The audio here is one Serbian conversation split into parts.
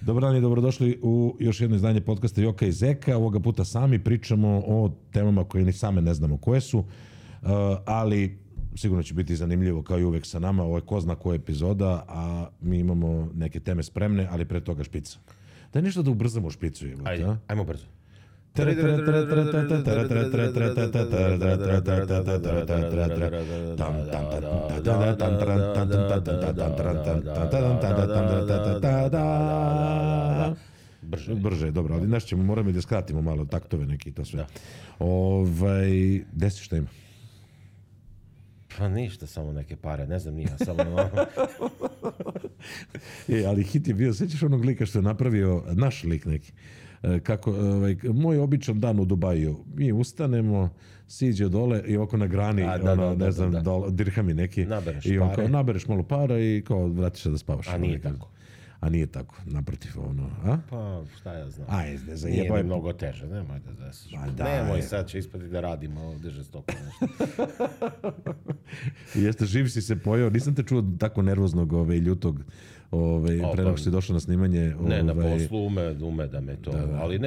Dobar dan i dobrodošli u još jedno izdanje podcasta Joka i Zeka. Ovoga puta sami pričamo o temama koje ni same ne znamo koje su, ali sigurno će biti zanimljivo kao i uvek sa nama. Ovo je ko zna koja epizoda, a mi imamo neke teme spremne, ali pre toga špica. Daj nešto da ubrzamo špicu. Ajmo brzo. Brže, dobro, ali nešto ćemo, moramo da skratimo malo taktove neki i to sve. Gde si, šta ima? Pa ništa, samo neke pare, ne znam nija, samo... Ali hit je bio, sećaš onog lika što je napravio, naš lik neki, kako, moj običan dan u Dubaju, mi ustanemo, siđe dole i oko na grani, dirhami neki, nabereš i on pare. kao nabereš malo para i kao vratiš se da spavaš. A nije tako. A nije tako, naprotiv, a? Pa, šta ja znam. Ne znam, nije mi mnogo teže, nemoj da zasiš. Nemoj, sad će ispati da radimo ovdje žestoko nešto. Jeste, živ si se pojao, nisam te čuo tako nervoznog i ljutog pre nego što si došao na snimanje. Ne, na poslu ume da me to, ali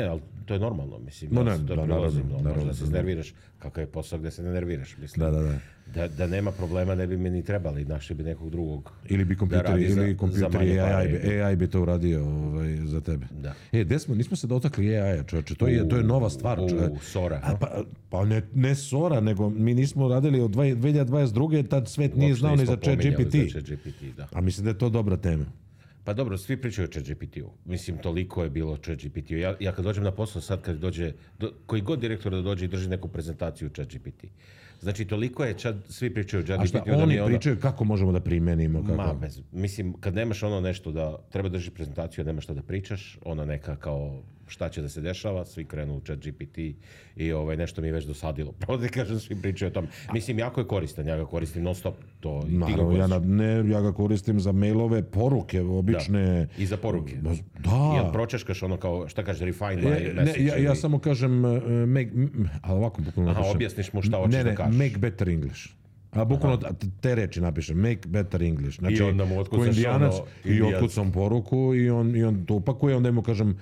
to je normalno, mislim. Možda se nerviraš, kakav je posao gde se ne nerviraš, mislim. Da nema problema ne bi me ni trebali, našli bi nekog drugog. Ili bi kompjuteri, AI bi to uradio za tebe. Da. Nismo se dotakli AI-a, čovječe, to je nova stvar. Sora. Pa ne Sora, nego mi nismo radili od 2022. Tad svet nije znao ni za ChatGPT. A mislim da je to dobra tema. Pa dobro, svi pričaju o ChatGPT-u. Mislim, toliko je bilo o ChatGPT-u. Ja kad dođem na posao sad, kad dođe, koji god direktor da dođe i drži neku prezentaciju o ChatGPT. Znači, toliko je, svi pričaju o ChatGPT-u. A šta oni pričaju kako možemo da primenimo? Mislim, kad nemaš ono nešto da treba drži prezentaciju, nemaš što da pričaš, ono neka kao šta će da se dešava, svi krenu u ChatGPT i nešto mi je već dosadilo. Pravo da kažem, svi pričaju o tom. Mislim, jako je koristan, ja ga koristim non stop. Ja ga koristim za mailove, poruke, obične. Da. I za poruke. Da. Jel pročeškaš ono kao, šta kaže, refine my message? Ja samo kažem, ali ovako bukvalno napišem. Objasniš mu šta hoćeš da kažeš. Make better English. A bukvalno te reči napišem, make better English. Znači, i onda mu otkucaš i otkucam poruku i on to upakuje, onda mu kažem,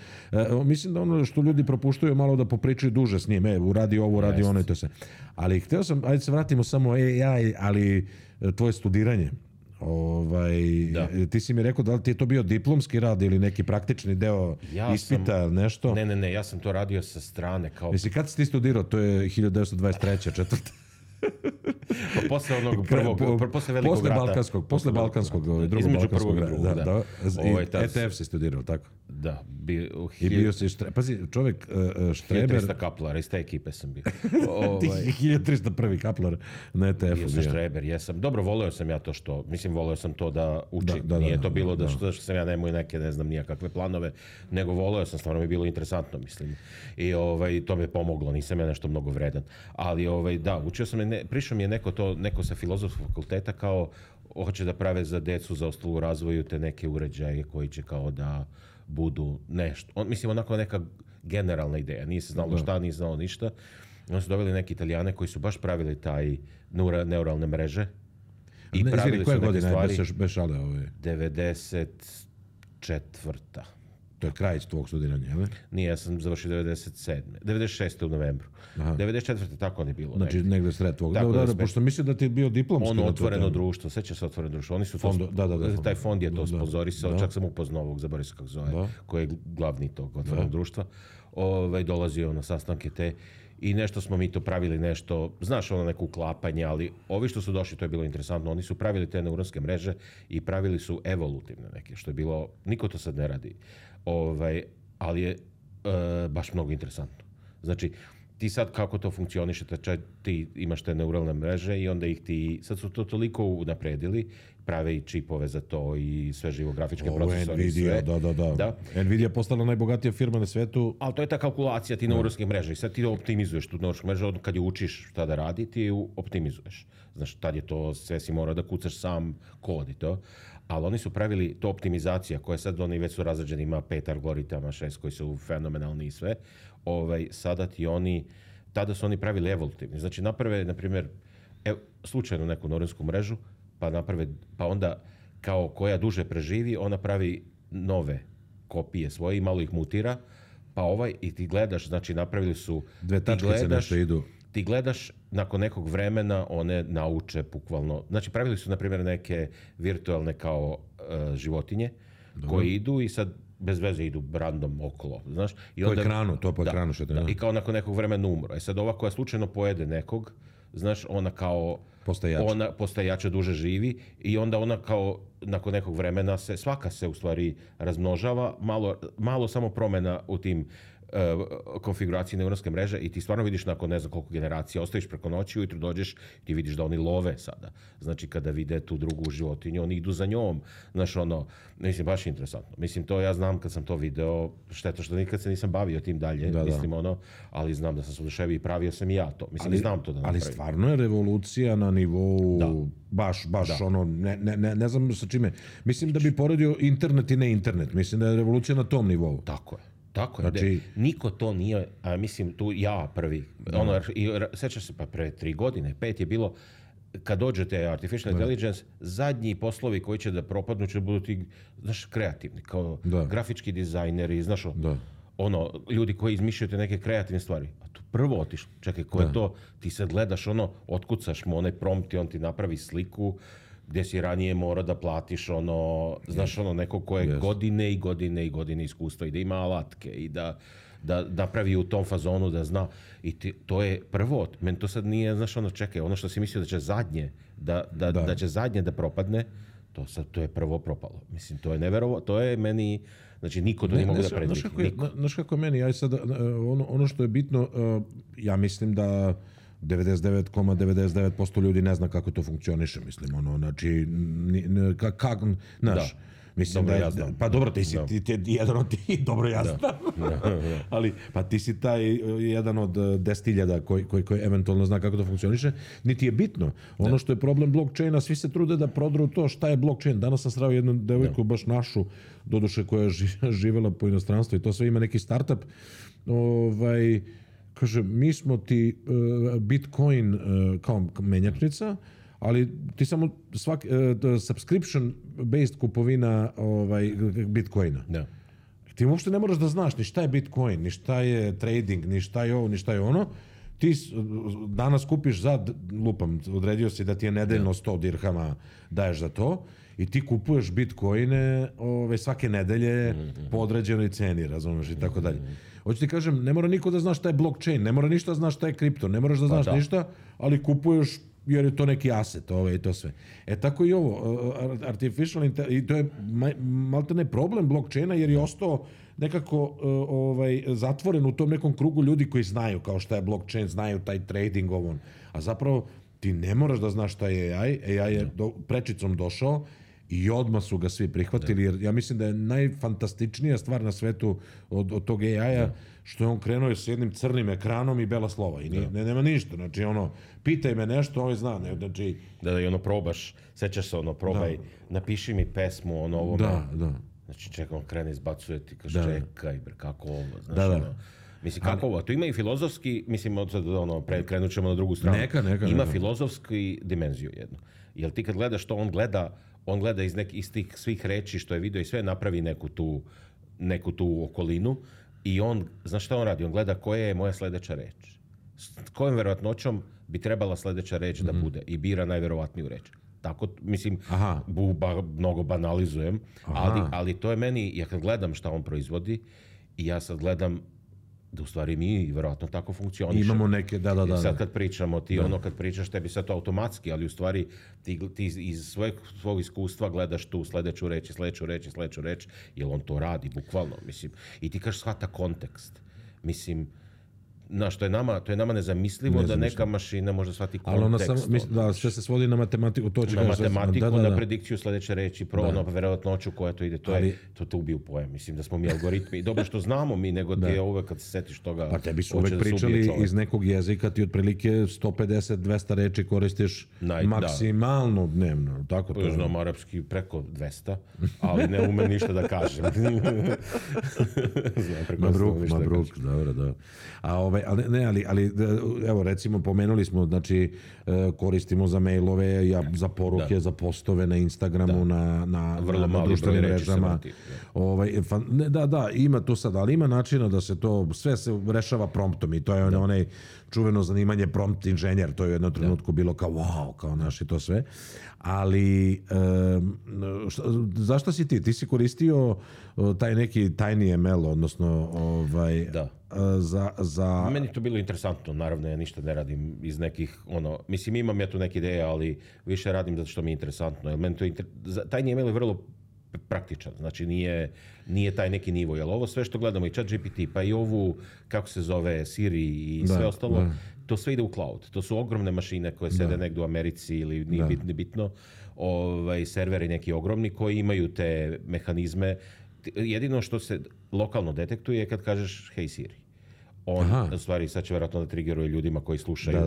mislim da ono što ljudi propuštaju malo da popričaju duže s njim, uradi ovo, uradi ono i to sve. Ali hteo sam, ajde se vratimo samo AI, ali tvoje studiranje. Ti si mi rekao da li ti je to bio diplomski rad ili neki praktični deo ispita, nešto? Ne, ja sam to radio sa strane. Mislim, kad si ti studirao? To je 1923. četvrta. Posle onog prvog, posle velikog rata. Posle balkanskog, drugog balkanskog rata. ETF si studirao, tako? Da. I bio si, pazi, čovjek Štreber. 1300 kaplara, iz te ekipe sam bio. 1301. kaplar na ETF-u. Bio sam Štreber, jesam. Dobro, voleo sam ja to što, voleo sam to da učim. Nije to bilo da što sam ja nemoj neke, ne znam, nijakakve planove, nego voleo sam, stvarno mi je bilo interesantno, mislim. I to mi je pomoglo, nisam ja nešto mnogo vredan. Ali, da, učio sam, prišao mi je neko sa filozofskog fakulteta kao hoće da prave za decu zaostalu u razvoju te neke uređaje koji će kao da budu nešto. Mislim, onako neka generalna ideja. Nije se znalo šta, nije znalo ništa. Oni su dobili neke Italijane koji su baš pravili taj neuralne mreže. I pravili su neke stvari. Bez šale 94. To je kraj tvog studiranja, jel? Nije, ja sam završio 96. u novembru. 94. tako on je bilo. Znači negde sred tvog. Da, pošto mislim da ti je bio diplomski. Ono otvoreno društvo, seća se otvoreno društvo. Oni su taj fond je to sponzorisao, čak sam upoznao ovog, zaboravio se kako zove, koji je glavni tog otvorenog društva. Dolazio na sastanke te i nešto smo mi to pravili, nešto, znaš, ono neko uklapanje, ali ovi što su došli, to je bilo interesantno, oni su pravili te neuronske mreže i pravili su evolutivne neke, što je bilo, niko to sad ne radi, ali je baš mnogo interesantno. Znači, ti sad kako to funkcioniše, ti imaš te neuralne mreže i onda ih ti, sad su to toliko unapredili, prave i čipove za to i sve živografičke procesore. Nvidia, da. Nvidia je postala najbogatija firma na svetu. Ali to je ta kalkulacija ti neuronskih mreža i sad ti optimizuješ tu neuronske mreže, kad je učiš šta da radi, ti ju optimizuješ. Znaš, tad je to, sve si mora da kucaš sam kod i to. Ali oni su pravili to optimizacija koja sad oni već su razređeni, ima 5 algoritama, 6 koji su fenomenalni i sve. Sada ti oni, tada su oni pravili evolutivni. Znači naprave, na primjer, slučajno neku neuronsku mrežu, pa onda kao koja duže preživi, ona pravi nove kopije svoje i malo ih mutira, pa i ti gledaš, znači napravili su... Dve tačkice nešto idu. Ti gledaš, nakon nekog vremena one nauče bukvalno, znači pravili su na primjer neke virtualne kao životinje koje idu i sad bez veze idu random okolo, znaš. I onda, po ekranu što te... I kao nakon nekog vremena umro. Sad ova koja slučajno pojede nekog, znaš, ona kao... Postaje jača, duže živi i onda ona kao nakon nekog vremena svaka se u stvari razmnožava, malo samo promjena u tim konfiguraciji neuronske mreže i ti stvarno vidiš nakon ne znam koliko generacija, ostaviš preko noći, ujutro dođeš, ti vidiš da oni love sada. Znači kada vide tu drugu životinju, oni idu za njom. Znaš, mislim, baš interesantno. Mislim, to ja znam kad sam to video, šteta što nikad se nisam bavio tim dalje, mislim, ali znam da sam se oduševio i pravio sam i ja to. Mislim, znam to da napravim. Ali stvarno je revolucija na nivou, baš ne znam sa čime. Mislim da bi poredio internet i ne internet. Mislim da je revolucija na tom nivou. Tako je. Tako je, znači, niko to nije, a mislim tu ja prvi, sećaš se pa pre 3 godine, 5 je bilo, kad dođete Artificial Intelligence, zadnji poslovi koji će da propadnu će budu ti, znaš, kreativni, kao grafički dizajneri, znaš, ljudi koji izmišljaju te neke kreativne stvari. A tu prvo otiš, čekaj, ko je to, ti sad gledaš otkucaš mu onaj prompt i on ti napravi sliku, gdje si ranije morao da platiš znaš, neko ko je godine i godine i godine iskustva i da ima alatke i da napravi u tom fazonu da zna. I to je prvo, meni to sad nije, znaš, čekaj, ono što si mislio da će zadnje, da će zadnje da propadne, to je prvo propalo. Mislim, to je neverovatno, to je meni, znači niko to ne mogu da predvidi. Znaš kako je meni, ja sad, ono što je bitno, ja mislim da 99,99% ljudi ne zna kako to funkcioniše, mislim, znači, znaš, mislim da ja znam. Pa dobro, ti si jedan od ti, dobro ja znam, ali pa ti si taj jedan od 10.000 koji eventualno zna kako to funkcioniše, niti je bitno. Ono što je problem blockchaina, svi se trude da prodru to šta je blockchain. Danas sam sreo jednu devojku, baš našu, doduše koja je živjela po inostranstvu i to sve ima neki startup, kaže, mi smo ti Bitcoin kao menjačnica, ali ti samo subscription-based kupovina Bitcoina. Da. Ti uopšte ne moraš da znaš ni šta je Bitcoin, ni šta je trading, ni šta je ovo, ni šta je ono. Ti danas kupiš odredio si da ti je nedeljno 100 dirhama daješ za to i ti kupuješ Bitcoine svake nedelje po određenoj ceni, razumiješ, i tako dalje. Hoću ti kažem, ne mora niko da zna šta je blockchain, ne mora ništa da zna šta je kripto, ne moraš da znaš ništa, ali kupuješ jer je to neki aset, i to sve. Tako i ovo, artificial intelligence, i to je maltene problem blockchaina jer je ostao nekako zatvoren u tom nekom krugu ljudi koji znaju kao šta je blockchain, znaju taj trading, a zapravo ti ne moraš da znaš šta je AI je prečicom došao i odmah su ga svi prihvatili, jer ja mislim da je najfantastičnija stvar na svetu od tog AI-a što je on krenuo s jednim crnim ekranom i bela slova i nema ništa, znači pitaj me nešto, zna, znači... Da, probaš, sećaš se, probaj, napiši mi pesmu, ovo... Da. Znači, čekaj, on krene, izbacuje ti, kaže, čekaj, kako ovo, znaš, mislim, kako ovo, tu ima i filozofski, mislim, krenut ćemo na drugu stranu. Ima filozofski dimenziju jednu. Jer ti kad gledaš to, on gleda iz tih svih reči što je vidio i sve napravi neku tu okolinu i on, znaš šta on radi? On gleda koja je moja sledeća reč. S kojom verovatnoćom bi trebala sledeća reč da bude i bira najverovatniju reč. Tako, mislim, mnogo banalizujem, ali to je meni, ja kad gledam šta on proizvodi i ja sad gledam da u stvari mi verovatno tako funkcionišemo. Imamo neke, da. Sad kad pričamo, kad pričaš, tebi sad to automatski, ali u stvari ti iz svog iskustva gledaš tu sledeću reč, jer on to radi, bukvalno, mislim. I ti kažeš shvata kontekst. Mislim, znaš, to je nama nezamislivo da neka mašina može shvati kontekst. Ali sve se svodi na matematiku, to će na matematiku, na predikciju sledeće reči, verovatnoću koja to ide, to ubije u pojam. Mislim da smo mi algoritmi, dobro što znamo mi, nego ti je uvek kad se setiš toga... Pa tebi su uvek pričali iz nekog jezika, ti otprilike 150-200 reči koristiš maksimalno dnevno, tako to je. Znam arapski preko 200, ali ne umem ništa da kažem. Mabruk, dobro, da. A Ali evo recimo pomenuli smo, znači koristimo za mailove, za poruke, za postove na Instagramu, na društvenim mrežama. Ima to sad, ali ima načina da se to, sve se rešava promptom i to je onaj čuveno zanimanje prompt inženjer, to je u jednom trenutku bilo kao wow, kao naši to sve. Ali zašto si ti? Ti si koristio taj neki TinyML, odnosno za... Meni to bilo interesantno, naravno ja ništa ne radim iz nekih, mislim imam ja tu neke ideje, ali više radim zato što mi je interesantno. Jer meni to TinyML je vrlo praktičan, znači nije taj neki nivo, jer ovo sve što gledamo i ChatGPT, pa i ovu, kako se zove, Siri i sve ostalo, to sve ide u cloud. To su ogromne mašine koje sede negdje u Americi ili nije bitno, serveri neki ogromni koji imaju te mehanizme. Jedino što se lokalno detektuje je kad kažeš hey Siri. U stvari sad će vjerojatno da triggeruje ljudima koji slušaju.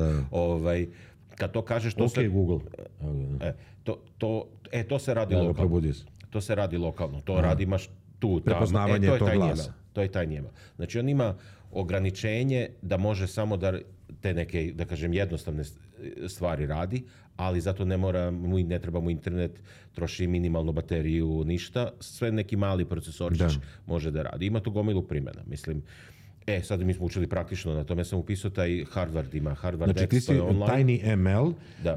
Kad to kažeš, to se... Google. To se radi lokalno. To se radi lokalno. To radi imaš tu. Prepoznavanje tog glasa. To je tajnijema. Znači on ima ograničenje da može samo da te neke, da kažem, jednostavne stvari radi, ali zato ne treba mu internet, troši minimalnu bateriju, ništa. Sve neki mali procesorčić može da radi. Ima tu gomilu primjena, mislim. Sad mi smo učili praktično, na tome sam upisao taj Harvard ima. Znači ti si TinyML,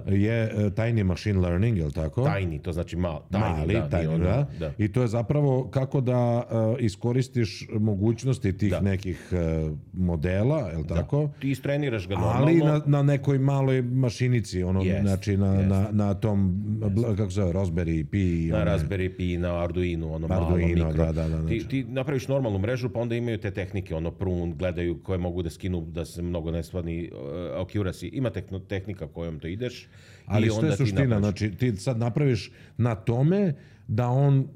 je Tiny Machine Learning, je li tako? Tiny, to znači mali. Tiny. I to je zapravo kako da iskoristiš mogućnosti tih nekih modela, je li tako? Ti istreniraš ga normalno. Ali na nekoj maloj mašinici, znači na tom, kako se zove, Raspberry Pi. Na Raspberry Pi, na Arduino, malo mikro. Ti napraviš normalnu mrežu, pa onda imaju te tehnike, gledaju koje mogu da skinu da se mnogo ne stvani accuracy. Ima tehnika kojom to ideš. Ali što je suština? Znači ti sad napraviš na tome da on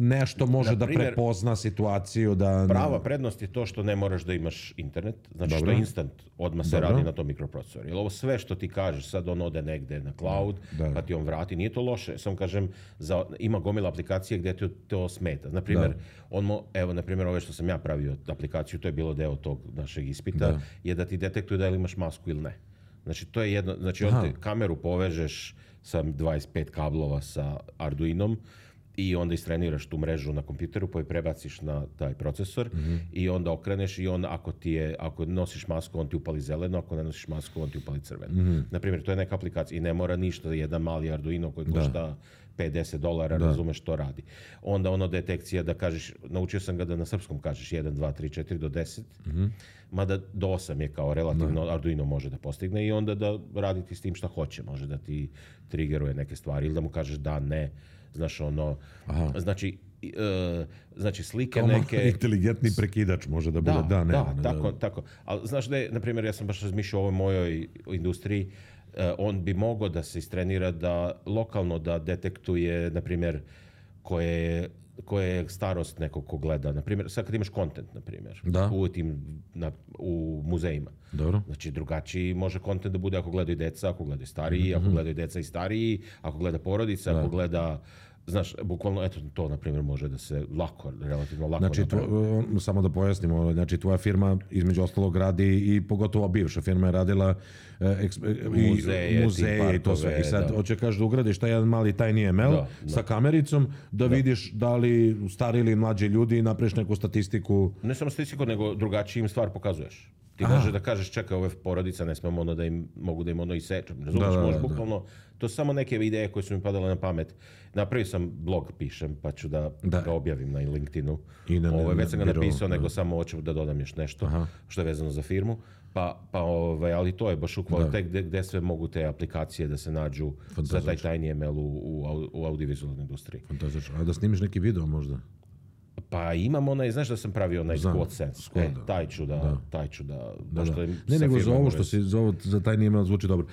nešto može da prepozna situaciju. Prava prednost je to što ne moraš da imaš internet. Znači što je instant, odmah se radi na tom mikroprocesoru. Jer ovo sve što ti kažeš, sad on ode negde na cloud, pa ti on vrati. Nije to loše. Samo kažem, ima gomila aplikacije gdje ti to smeta. Naprimjer, ove što sam ja pravio aplikaciju, to je bilo deo tog našeg ispita, je da ti detektuje da li imaš masku ili ne. Znači to je jedno, znači kameru povežeš sa 25 kablova sa Arduinom, i onda istreniraš tu mrežu na kompjuteru, pa je prebaciš na taj procesor i onda okreneš i on ako nosiš masku, on ti upali zeleno, ako ne nosiš masku, on ti upali crveno. Naprimjer, to je neka aplikacija i ne mora ništa, jedan mali Arduino koji košta $50, razumeš što radi. Onda detekcija da kažeš, naučio sam ga da na srpskom kažeš 1, 2, 3, 4 do 10, mada do 8 je kao relativno Arduino može da postigne i onda da raditi s tim šta hoće, može da ti triggeruje neke stvari ili da mu kažeš da, ne. Znaš, znači slike neke... Inteligentni prekidač može da bude tako. Ali znaš da je, na primjer, ja sam baš razmišljao o ovoj mojoj industriji, on bi mogao da se istrenira da lokalno da detektuje, na primjer, koje je starost nekog ko gleda. Na primjer, sad kad imaš content, na primjer, u muzejima. Dobro. Znači, drugačiji može content da bude ako gledaju deca, ako gledaju stariji, ako gledaju deca i stariji, ako gleda porodica, ako gleda... Znaš, bukvalno, eto, to, na primjer, može da se relativno lako znači, samo da pojasnimo, znači, tvoja firma, između ostalog, radi i pogotovo bivša firma je radila muzeje i to sve. I sad, hoće kažeš da ugradiš taj jedan mali TinyML sa kamericom, da vidiš da li stari ili mlađi ljudi napraviš neku statistiku. Ne samo statistiku, nego drugačiji im stvar pokazuješ. Ti možeš da kažeš, čekaj, ove porodica, ne smemo da im, mogu da im isečem. Razumiješ, možeš bukvalno, to su samo neke ideje koje su mi padale na pamet. Napravio sam blog, pišem, pa ću da ga objavim na LinkedInu. Već sam ga napisao, nego samo hoću da dodam još nešto što je vezano za firmu. Ali to je baš u kvalitet gdje sve mogu te aplikacije da se nađu za taj TinyML u audiovizualnoj industriji. Fantastično. A da snimiš neki video možda? Pa imam znaš da sam pravio onaj Squad Sense. Taj ću da. Ne, nego za ovo što si za TinyML zvuči dobro.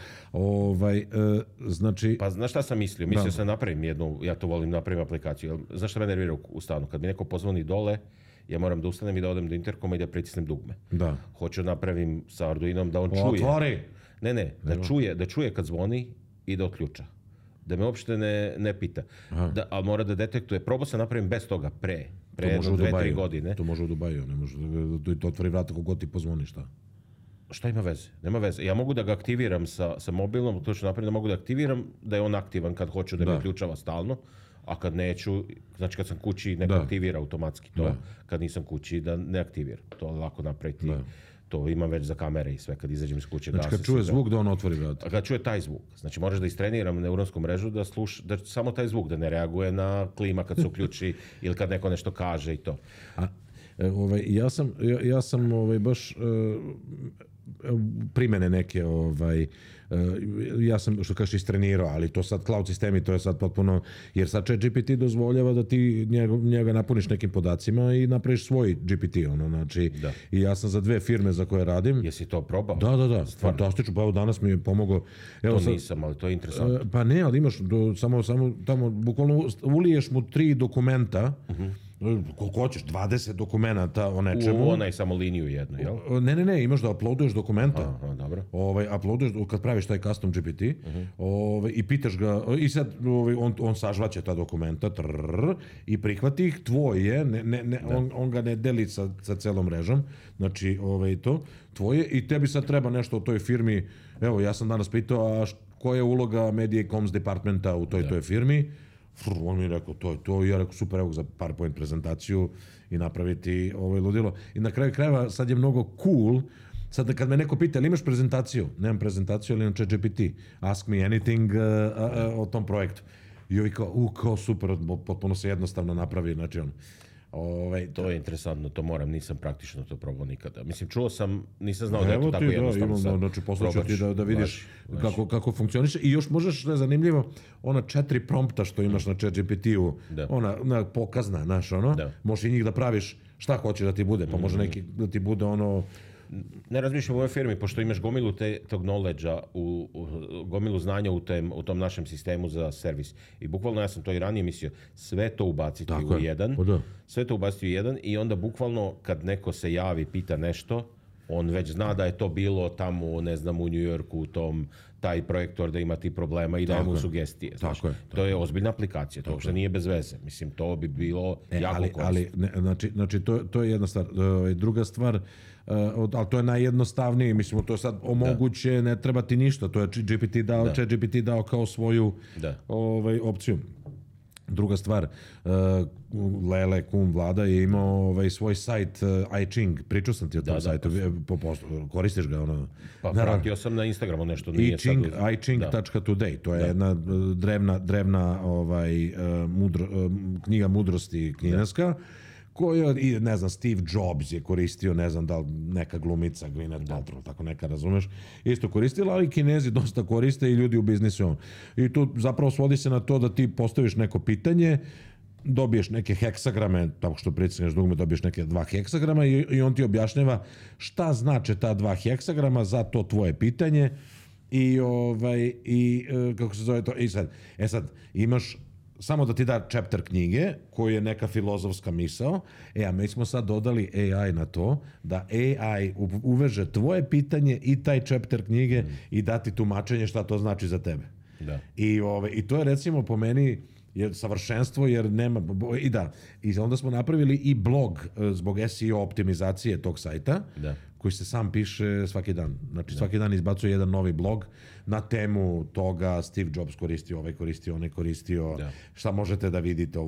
Znači... Pa znaš šta sam mislio? Mislio sam napravim jednu, ja to volim, napravim aplikaciju. Znaš šta me nervira u stanu? Kad mi neko pozvoni dole, ja moram da ustanem i da odem do interkoma i da pritisnem dugme. Da. Hoću napravim sa Arduinom da on čuje. Otvori! Ne, da čuje kad zvoni i da otključa. Da me uopšte ne pita. Ali mora da detektuje. Probao sam napravim bez toga pre jedno 2-3 godine. To može u Dubaju. Ne može da otvori vrata kogod ti pozvoni šta. Šta ima veze? Nema veze. Ja mogu da ga aktiviram sa mobilnom, to ću napraviti da mogu da aktiviram, da je on aktivan kad hoću da me uključava stalno, a kad neću, znači kad sam kući neko aktivira automatski to, kad nisam kući da ne aktivira. To lako napraviti. To imam već za kamere i sve, kad izađem iz kuće. Znači kad čuje zvuk da on otvori vrata. Kad čuje taj zvuk. Znači moraš da istreniram neuronsku mrežu da samo taj zvuk, da ne reaguje na klima kad se uključi ili kad neko nešto kaže i to. Ja sam baš primene neke ja sam, što kažeš, istrenirao, ali to sad cloud sistemi, to je sad potpuno, jer sad ChatGPT dozvoljava da ti njega napuniš nekim podacima i napraviš svoj GPT, znači, i ja sam za 2 firme za koje radim. Jesi to probao? Da, fantastično, pa evo danas mi je pomogao. To nisam, ali to je interesantno. Pa ne, ali imaš, samo tamo, bukvalno uliješ mu 3 dokumenta, koliko hoćeš, 20 dokumenta o nečemu. U onaj samo liniju jednu, jel? Ne, imaš da uploaduješ dokumenta. Dobro. Uploaduješ, kad praviš taj custom GPT, i pitaš ga, i sad on sažvaće ta dokumenta, i prihvati ih, tvoj je, on ga ne deli sa celom mrežom, znači to, tvoje, i tebi sad treba nešto o toj firmi. Evo, ja sam danas pitao, a koja je uloga Media i Comms departmenta u toj firmi? On mi je rekao, to je to, i ja rekao, super, evo za PowerPoint prezentaciju i napraviti ludilo. I na kraju krajeva sad je mnogo cool, sad kad me neko pita, ali imaš prezentaciju? Nemam prezentaciju, ali imam ChatGPT. Ask me anything o tom projektu. I ovi kao super, potpuno se jednostavno napravi, znači to je interesantno, to moram, nisam praktično to probao nikada. Mislim, čuo sam, nisam znao da je to tako jednostavno sad. Znači, poslaću ti da vidiš kako funkcioniše. I još možeš, što je zanimljivo, ona 4 prompta što imaš na ChatGPT-u, ona pokazna, znaš, možeš i njih da praviš šta hoćeš da ti bude, pa može neki da ti bude Ne razmišljam u ovoj firmi, pošto imaš gomilu tog knowledge-a, gomilu znanja u tom našem sistemu za servis. I bukvalno, ja sam to i ranije mislio, sve to ubaciti u jedan. Sve to ubaciti u jedan i onda bukvalno kad neko se javi, pita nešto, on već zna da je to bilo tamo, ne znam, u New Yorku, taj projektor da ima ti problema i daje mu sugestije. To je ozbiljna aplikacija, to uopšte nije bez veze. Mislim, to bi bilo jako korisno. Znači, to je jedna stvar. Druga stvar, ali to je najjednostavnije, mislim, to je sad omoguće, ne treba ti ništa, to je ChatGPT dao kao svoju opciju. Druga stvar, Lele Kum Vlada je imao svoj sajt iChing, pričao sam ti o tom sajtu, koristiš ga? Pa pratio sam na Instagramu nešto. iChing.today, to je jedna drevna knjiga mudrosti kineska, koju, ne znam, Steve Jobs je koristio, ne znam da li neka glumica, Gwyneth Paltrow, tako neka, razumeš, isto koristila, ali Kinezi dosta koriste i ljudi u biznisu. I tu zapravo svodi se na to da ti postaviš neko pitanje, dobiješ neke heksagrame, tako što pritisneš dugme, dobiješ neke 2 heksagrama i on ti objašnjava šta znače ta 2 heksagrama za to tvoje pitanje i kako se zove to, i sad imaš samo da ti da chapter knjige, koji je neka filozofska misao, a mi smo sad dodali AI na to, da AI uveže tvoje pitanje i taj chapter knjige i dati tumačenje šta to znači za tebe. I to je, recimo, po meni je savršenstvo, jer nema, i onda smo napravili i blog zbog SEO optimizacije tog sajta, koji se sam piše svaki dan. Znači, svaki dan izbacuje jedan novi blog na temu toga, Steve Jobs koristio, onaj koristio, šta možete da vidite,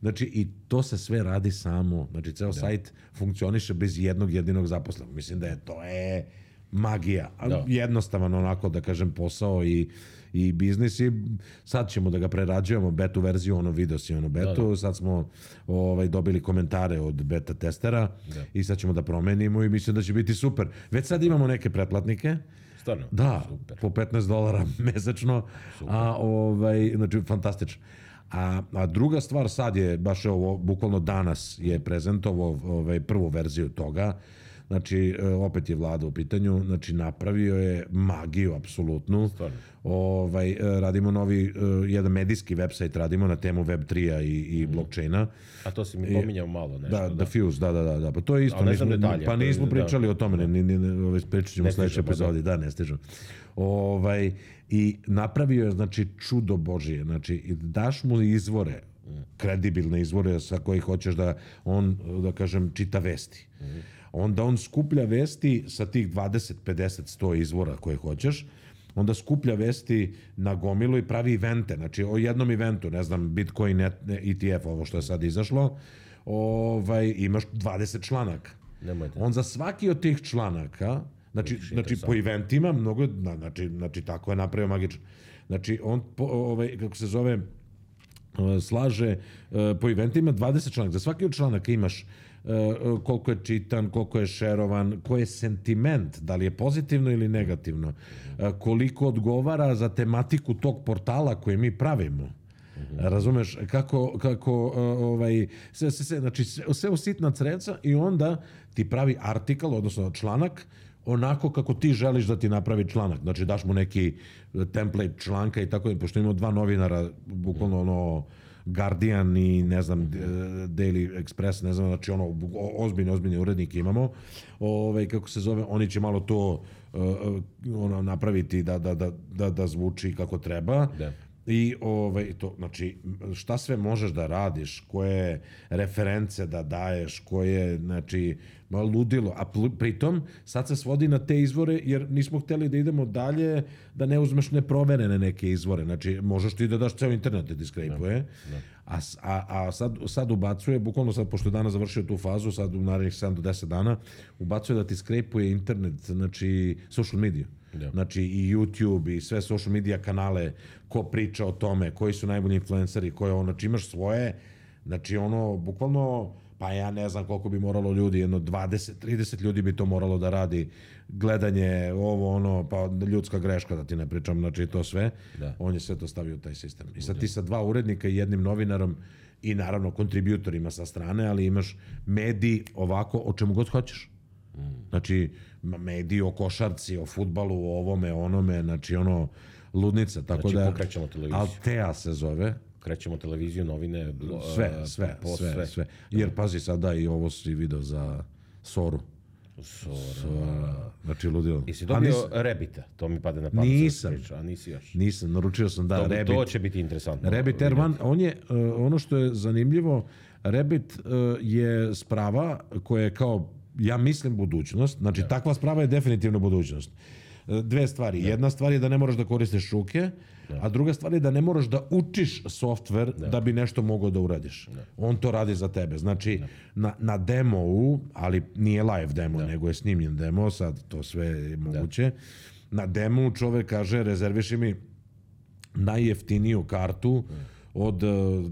Znači, i to se sve radi samo. Znači, ceo sajt funkcioniše bez jednog jedinog zaposlenog. Mislim da to je magija. Jednostavan, onako, da kažem, posao i biznis, i sad ćemo da ga prerađujemo, betu verziju, video si betu, sad smo dobili komentare od beta testera i sad ćemo da promenimo i mislim da će biti super. Već sad imamo neke pretplatnike. Stvarno? Da, po $15 mesečno, znači fantastično. A druga stvar, sad je, baš ovo, bukvalno danas je prezentovao prvu verziju toga. Znači, opet je Vlada u pitanju, znači napravio je magiju, apsolutnu. Radimo novi, jedan medijski website radimo na temu Web3-a i blockchaina. A to si mi pominjao malo nešto. Da, Fuse, da. Pa to je isto. Ali ne znam detalje. Pa nismo pričali o tome, pričat ćemo u sljedećoj epizodi. Da, ne stižem. I napravio je, znači, čudo Božije. Znači, daš mu izvore, kredibilne izvore sa kojih hoćeš da on, da kažem, čita vesti. onda on skuplja vesti sa tih 20, 50, 100 izvora koje hoćeš, onda skuplja vesti na gomilu i pravi evente, znači o jednom eventu, ne znam, Bitcoin ETF, ovo što je sad izašlo, imaš 20 članaka. On za svaki od tih članaka, znači po eventima, mnogo, znači tako je napravio magično. Znači on, kako se zove, slaže po eventima 20 članaka. Za svaki od članaka imaš koliko je čitan, koliko je šerovan, koji je sentiment, da li je pozitivno ili negativno, koliko odgovara za tematiku tog portala koje mi pravimo. Razumeš, kako znači sve usitna creca i onda ti pravi artikal, odnosno članak, onako kako ti želiš da ti napravi članak. Znači daš mu neki template članka i tako, pošto imamo 2 novinara, bukvalno ono Guardian i ne znam Daily Express, ne znam, znači ono ozbiljni urednik imamo, kako se zove, oni će malo to napraviti da zvuči kako treba. Da. I to, znači, šta sve možeš da radiš, koje reference da daješ, koje, znači, ludilo. A pritom, sad se svodi na te izvore, jer nismo hteli da idemo dalje, da ne uzmeš neproverene neke izvore. Znači, možeš ti da daš ceo internet da ti skrejpuje, a sad ubacuje, bukvalno sad, pošto je danas završio tu fazu, sad u narednih 7 do 10 dana, ubacuje da ti skrejpuje internet, znači, social media. Znači i YouTube i sve social media kanale, ko priča o tome, koji su najbolji influenceri, znači imaš svoje, znači ono, bukvalno, pa ja ne znam koliko bi moralo ljudi, jedno 20-30 ljudi bi to moralo da radi, gledanje, pa ljudska greška, da ti ne pričam, znači to sve, on je sve to stavio u taj sistem. I sad ti sa 2 urednika i 1 novinarom i naravno kontributorima sa strane, ali imaš mediji ovako, o čemu god hoćeš. Znači, mediji o košarci, o fudbalu, o ovome, onome, znači ono, ludnica, tako znači, da... Znači, pokrećemo televiziju. Altea se zove. Krećemo televiziju, novine, sve. Jer, pazi, sada i ovo si video za Soru. Znači, ludilo. I si dobio Rebita, to mi pade na pamet. Nisam. A nisi još. Nisam, naručio sam da Rebit. To će biti interesantno. Rebit R1, on je, ono što je zanimljivo, Rebit je sprava koja je kao, ja mislim, budućnost. Znači, takva sprava je definitivno budućnost. 2 stvari. Jedna stvar je da ne moraš da koristiš šuke, a druga stvar je da ne moraš da učiš softver da bi nešto mogao da uradiš. On to radi za tebe. Znači, na demo-u, ali nije live demo, nego je snimljen demo, sad to sve je moguće. Na demo čovek kaže, rezerviši mi najjeftiniju kartu od,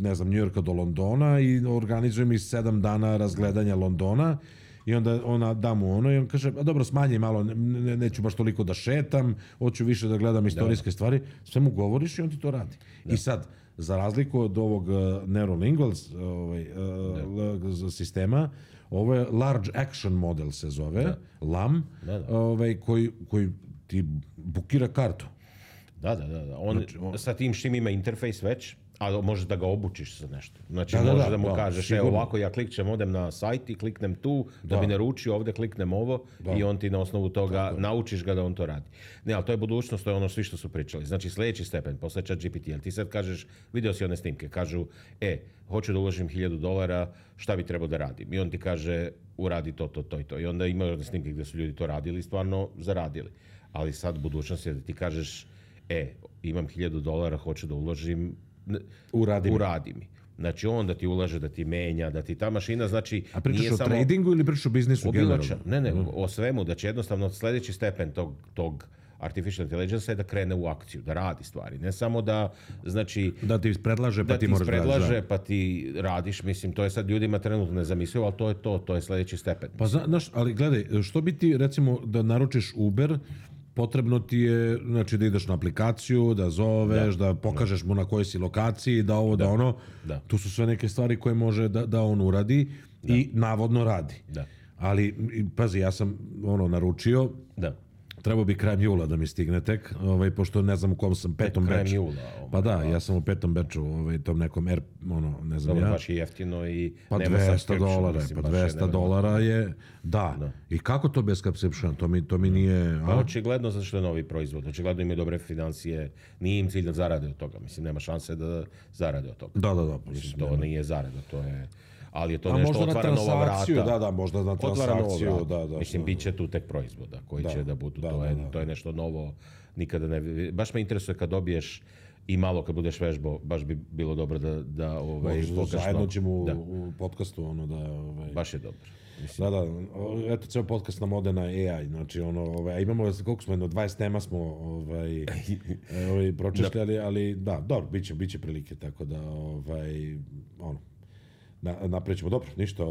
ne znam, Njujorka do Londona i organizuje mi 7 dana razgledanja Londona. I onda ona da mu ono i on kaže, dobro, smanji malo, neću baš toliko da šetam, hoću više da gledam istorijske stvari. Sve mu govoriš i on ti to radi. I sad, za razliku od ovog Neurolinguals sistema, ovo je Large Action Model se zove, LAM, koji ti bukira kartu. Da. On sa tim što ima interfejs već, a možeš da ga obučiš za nešto. Znači, možeš da mu kažeš, evo ovako, ja klikćem, odem na sajt i kliknem tu, da bi naručio, ovde kliknem ovo i on ti na osnovu toga naučiš ga da on to radi. Ne, ali to je budućnost, to je ono svi što su pričali. Znači, sljedeći stepen, posle ChatGPT, ali ti sad kažeš, video si one snimke, kažu, hoću da uložim $1000, šta bi trebao da radim? I on ti kaže, uradi to i to. I onda imaju one snimke gde su ljudi to radili i stvarno zaradili. Ali sad budućnost je da ti kažeš, imam $1000, hoću da uložim, uradi mi. Znači, on da ti ulaže, da ti menja, da ti ta mašina, znači... A pričaš o tradingu ili pričaš o biznisu generalno? Ne, o svemu. Znači, jednostavno, sljedeći stepen tog artificial intelligence je da krene u akciju, da radi stvari. Ne samo da, znači... Da ti predlaže, pa ti moraš da radiš. Da ti predlaže, pa ti radiš. Mislim, to je sad ljudima trenutno nezamislivo, ali to je to je sljedeći stepen. Pa znaš, ali gledaj, što bi ti, recimo, da naručiš Uber, potrebno ti je, znači, da ideš na aplikaciju, da zoveš, da pokažeš mu na kojoj si lokaciji, da ovo, da ono. Tu su sve neke stvari koje može da on uradi i navodno radi. Ali, pazi, ja sam naručio, trebao bi krajem jula da mi stigne tek, pošto ne znam u kom sam, 5. beču. Pa da, ja sam u 5. beču, tom nekom ne znam ja. Dobro, baš je jeftino i pa nema $200, pa $200 je, da. I kako to bez subscription? To mi nije... Pa očigledno zato što je novi proizvod, očigledno imaju dobre financije, nije im cilj da zarade od toga, mislim, nema šanse da zarade od toga. Da. Mislim, to nije zarada, to je... ali je to nešto otvara nova vrata. Da, možda na transakciju. Mislim, bit će tu tek proizvoda koji će da budu. To je nešto novo. Nikada ne... Baš me interesuje kad dobiješ i malo kad budeš vežbao, baš bi bilo dobro da zajedno ćemo u podcastu baš je dobro. Da, eto, ceo podcast nam ode na AI, znači imamo, koliko smo, 20 tema smo pročešljali, ali da, dobro, bit će prilike, tako da, naprećemo, dobro, ništa,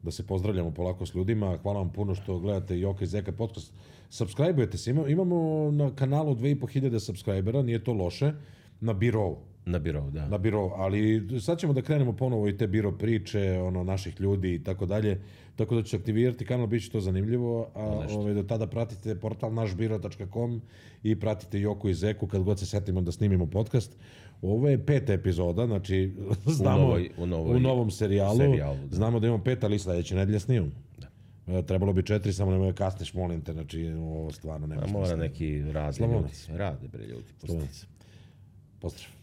da se pozdravljamo polako s ljudima, hvala vam puno što gledate Joka i Zeka podcast, subscribe-ujete se, imamo na kanalu 2500 subscribera, nije to loše, na Birou. Na Birou, da. Na Birou, ali sad ćemo da krenemo ponovo i te Biro priče, naših ljudi i tako dalje, tako da ću aktivirati kanal, bit će to zanimljivo, a do tada pratite portal našbiro.com i pratite Joku i Zeku kad god se setimo da snimimo podcast. Ovo je 5. epizoda, znači znamo u novom serijalu, znamo da imamo 5, ali sledeće nedelje snimamo. Trebalo bi 4, samo nemoj kasniš, molim te, znači ovo stvarno nema smisla. Mora neki rade ljudi. Rade bre ljudi. Pozdrav.